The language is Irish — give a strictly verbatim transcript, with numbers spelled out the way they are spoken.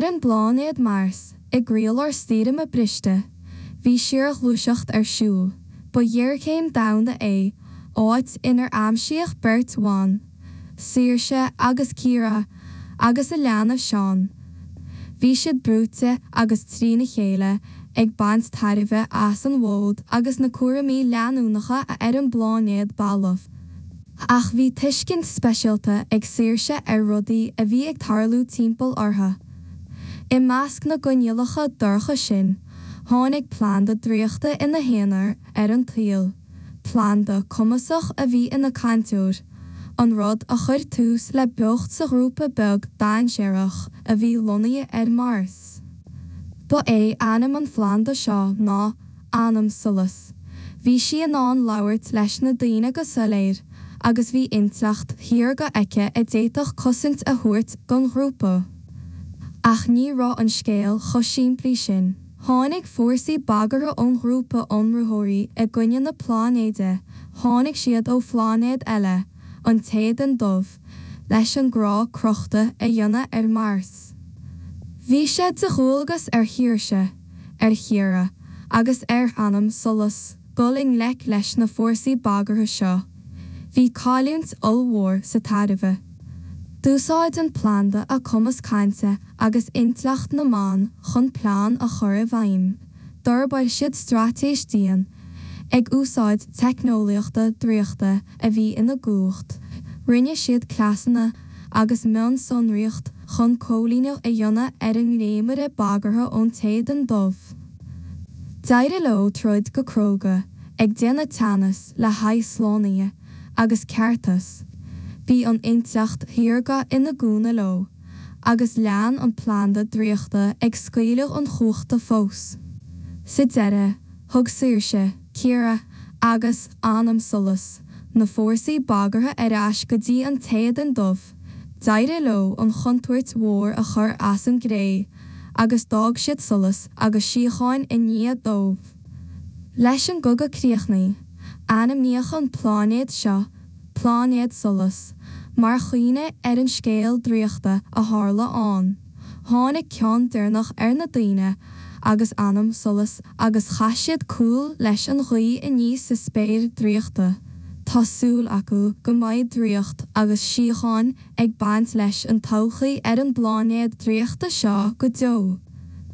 Ar an bpláinéad Mars, i gcroílár stoirme briste, bhí síorghluaiseacht ar siúl. Ba ghéarchéim domhanda é, áit inar aimsíodh beirt bhan, Saoirse agus Ciara, agus a leanbh Seán. Bhí siad brúite agus trína chéile, ag baint tairbhe as an bhfód agus na cúraimí leanúnacha ar an bpláinéad balbh. Ach bhí tuiscint speisialta ag Saoirse ar rudaí a bhí ag tarlú timpeall orthu. I measc na gcoinníollacha dorcha sin, tháinig planda draíochta ina haonar ar an tsaol, planda cumasach a bhí ina cainteoir, an rud a chuir tús le beocht sa ghrúpa beag dainséarach a bhí lonnaithe ar Mars. Ba é ainm an phlanda seo ná Anam Solas. Bhí sí in ann labhairt leis na daoine go soiléir, agus bhí intleacht shaorga aici a d'fhéadfadh cosaint a thabhairt don ghrúpa. Ach ní raibh an scéal chomh simplí sin. Tháinig fórsaí bagartha ón ghrúpa ionraitheoirí i gcoinne na pláinéide, tháinig siad ó phláinéad eile, an tÉadan Dubh, leis an gcrá crochta a dhéanamh ar Mars. Bhí sé de dhualgas ar Shaoirse, ar Chiara agus ar Anam Solas dul i ngleic leis na fórsaí bagartha seo. Bhí cailliúint ollmhór sa tairbhe. D'úsáid an planda a cumas cainte agus intleacht na mban chun plean a chur i bhfeidhm. D'fhorbair siad straitéis dian, ag úsáid teicneolaíochta draíochta a bhí ina gcumhacht. Rinne siad cleasanna agus mionsonraíocht chun coilíneacht a dhéanamh ar an ngréimire bagartha ón tÉadan Dubh. D'éirigh leo troid go cróga, ag déanamh teannas le haghaidh slánaithe agus ceartas. Bhí an intleacht shaorga ina gcúnamh leo, agus lean an planda draíochta ag scaoileadh an chumhachta fós. Sa deireadh, thug Saoirse, Ciara agus Anam Solas na fórsaí bagartha ar ais go dtí an tÉadan Dubh. D'éirigh leo an chontúirt mhór a chur as an gcré, agus d'fhág siad solas agus síocháin i ndiaidh dóibh. Leis an gcogadh críochnaithe, ainmníodh an pláinéad seo Pláinéad Solas, mar chuimhne ar an scéal draíochta a tharla ann. Tháinig ceann deireanach ar na daoine agus Anam Solas agus chaith siad cúl leis an ghaoth aníos sa spéir draíochta. Tá súil acu go mbeidh draíocht agus síocháin ag baint leis an todhchaí ar an bpláinéad draíochta seo go deo.